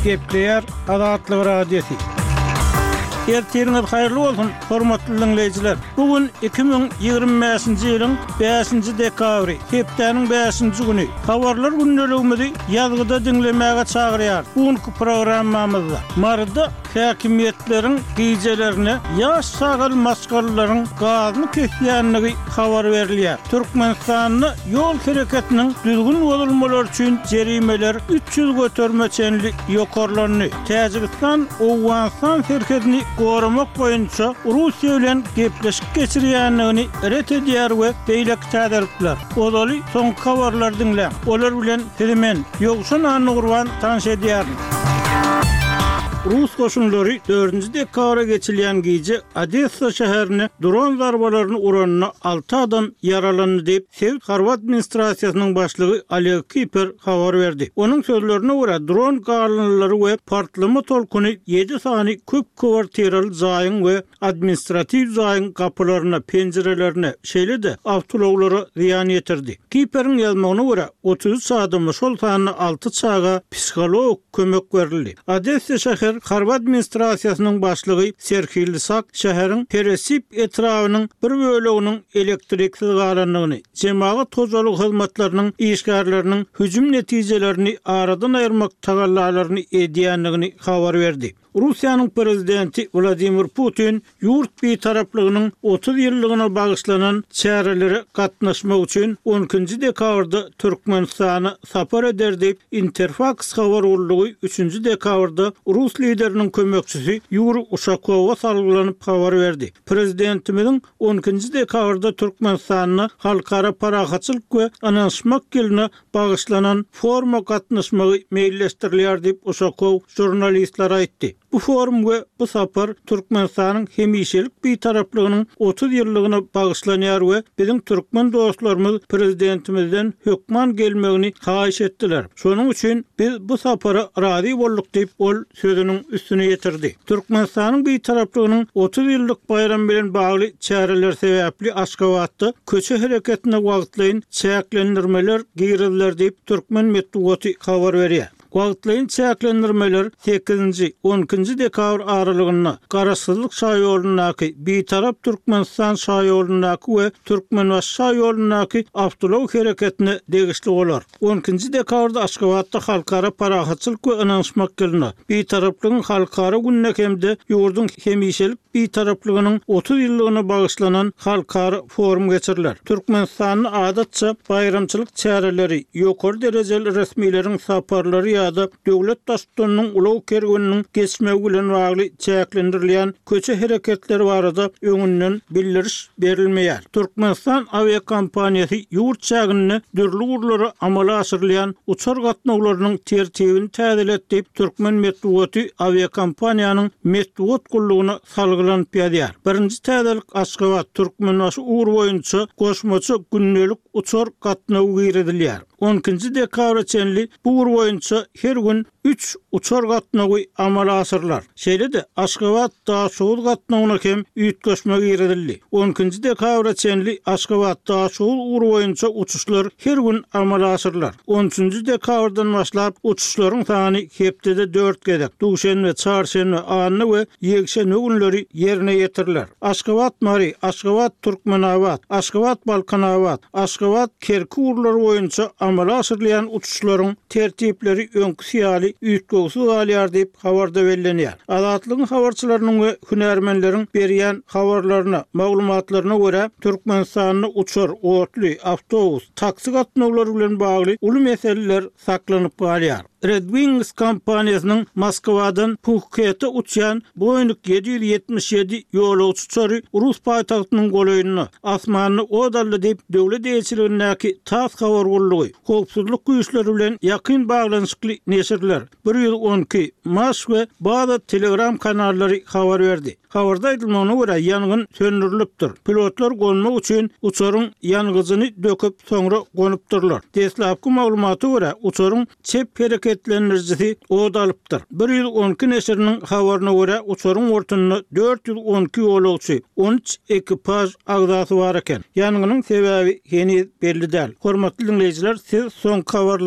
Gepleýär Azatlyk Radiosy. Ertiriňiz haýyrly bolsun, hormatly diňleýjiler! Bu gün 2025-nji ýylyň bäşinji dekabry, hepdäniň bäşinji güni. Habarlar gündeligimizi ýazgyda diňlemäge çagyrýarys. Bu günki programmamyzda Maryda Häkimiýetleriň gijelerine ýaş çagaly maşgalalaryň gazyny kesýändigi habar berilýär. Türkmenistanda ýol hereketiniň düzgün bozulmalary üçin jerimeler 300 göterime çenli ýokarlandy. Täjigistan Owganystan serhedini goramak boýunça Russiýa bilen gepleşik geçirýändigini ret edýär we beýleki täzelikler. Ozaly soňky habarlary diňläň. Olar bilen sizi men, Ýowşan Annagurban tanyş edýärin. Rus goşunlary dördünji dekabra geçilýän gije Odessa şäherine dron zarbalaryny uranda alty adam ýaralandy diýip, sebit harby administrasiýasynyň başlygy Oleg Kiper habar berdi. Onuň sözlerine görä, dron galyndylary we partlama tolkuny ýedi sany köp kwartiraly jaýyň we administratiw jaýyň gapylaryna, penjirelerine, şeýle-de awtoulaglara zyýan ýetirdi. Kiperiň ýazmagyna görä, 33 adama, şol sanda alty çaga psihologik kömek berildi. Odessa şäher harby administrasiýasynyň başlygy Serhiý Lysak şäheriň Peresip etrabynyň bir böleginiň elektriksiz galandygyny, jemagat hojalygy hyzmatlarynyň işgärleriniň hüjüm netijelerini aradan aýyrmak tagallalaryny edýändigini habar berdi. Russiýanyň Prezidenti Wladimir Putin ýurt Bitaraplygynyň 30 ýyllygyna bagyşlanan çärelere gatnaşmak üçin on ikinji dekabrda Türkmenistana sapar eder diýip, Interfaks habar gullugy üçünji dekabrda rus lideriniň kömekçisi Ýuriý Uşakowa salgylanyp habar berdi. Prezidentimiziň on ikinji dekabrda Türkmenistanda Halkara parahatçylyk we ynanyşmak ýylyna bagyşlanan foruma gatnaşmagy meýilleşdirilýär diýip, Uşakow žurnalistlere aýtdy. Bu forum we bu sapar Türkmenistanyň hemişelik Bitaraplygynyň 30 ýyllygyna bagyşlanýar we biziň türkmen dostlarymyz Prezidentimizden hökman gelmegini haýyş etdiler. Şonuň üçin biz bu sapara razy bolduk diýip, ol sözüniň üstüni ýetirdi. Türkmenistanyň Bitaraplygynyň 30 ýyllyk baýramy bilen bagly çäreler sebäpli Aşgabatda köçe hereketine wagtlaýyn çäklendirmeler giriziler diýip, türkmen metbugaty habar berýär. Wagtlaýyn çäklendirmeler sekizinji, on ikinji dekabr aralygynda Garaşsyzlyk şaýolundaky, Bitarap Türkmenistan şaýolundaky we Türkmenbaşy şaýolundaky awtoulag hereketine degişli bolar. On ikinji dekabrda Aşgabatda Halkara parahatçylyk we ynanyşmak ýylyna, Bitaraplygyň halkara gününe hem-de ýurduň hemişelik Bitaraplygynyň 30 ýyllygyna bagyşlanan halkara forum geçiriler. Türkmenistanda adatça baýramçylyk çäreleri, ýokary derejeli resmileriň saparlary ýa-da döwlet Baştutanynyň ulag kerweniniň geçmegi bilen bagly çäklendirilýän köçe hereketleri barada öňünden bildiriş berilmeýär. Türkmenistan awiakompaniýasy ýurt çäginde dürli ugurlara amala aşyrylýan uçar gatnawlarynyň tertibini täzeledi diýip, türkmen metbugaty awiakompaniýanyň metbugat gullugyna salgylanyp ýazýar. Birinji täzelik Aşgabat, Türkmenbaşy ugry boýunça goşmaça gündelik uçar gatnawy girizilýär. On ikinji dekabra çenli bu ugur boýunça her gün üç uçar gatnawy amala aşyrylar. Şeýle-de, Aşgabat, Daşoguz gatnawyna hem üýtgeşme girizildi. On ikinji dekabra çenli Aşgabat, Daşoguz ugry boýunça uçuşlar her gün amala aşyrylar. On üçünji dekabrdan başlap uçuşlaryň sany hepdede dört gezek, duşenbe, çarşenbe, anna we ýekşenbe günleri ýerine ýetiriler. Aşgabat, Mary, Aşgabat, Türkmenabat, Aşgabat, Balkanabat, Aşgabat, Kerki ugurlary boýunça amala aşyrylýan uçuşlaryň tertipleri öňküsi ýaly üýtgewsiz galýar diýip, habarda bellenýär. Azatlygyň habarçylarynyň we hünärmenleriň berýän habarlaryna, maglumatlaryna görä, Türkmenistanda uçar, otly, awtobus, taksi gatnawlary bilen bagly uly meseleler saklanyp galýar. Red Wings kompaniýasynyň Moskwadan Phukete uçýan Boeing 777 ýolagçy uçary rus paýtagtynyň golaýynda, asmanda ot aldy diýip, döwlet eýeçiligindäki tass habar gullugy, howpsuzlyk güýçleri bilen ýakyn baglanyşykly neşirler, 112, Maş we Baza Telegram kanallary habar berdi. Habarda aýdylmagyna görä, ýangyn söndürilipdir. Pilotlar gonmak üçin uçaryň ýangyjyny döküp, soňra gonupdyrlar. Deslapky maglumata görä, uçaryň çep hereketlendirijisi ot alypdyr. 112 neşiriniň habaryna görä, uçaryň bortunda 412 ýolagçy, 13 ekipaž agzasy bar eken. Ýangynyň sebäbi heniz belli däl. Hormatly diňleýjiler, siz soňky habarlary.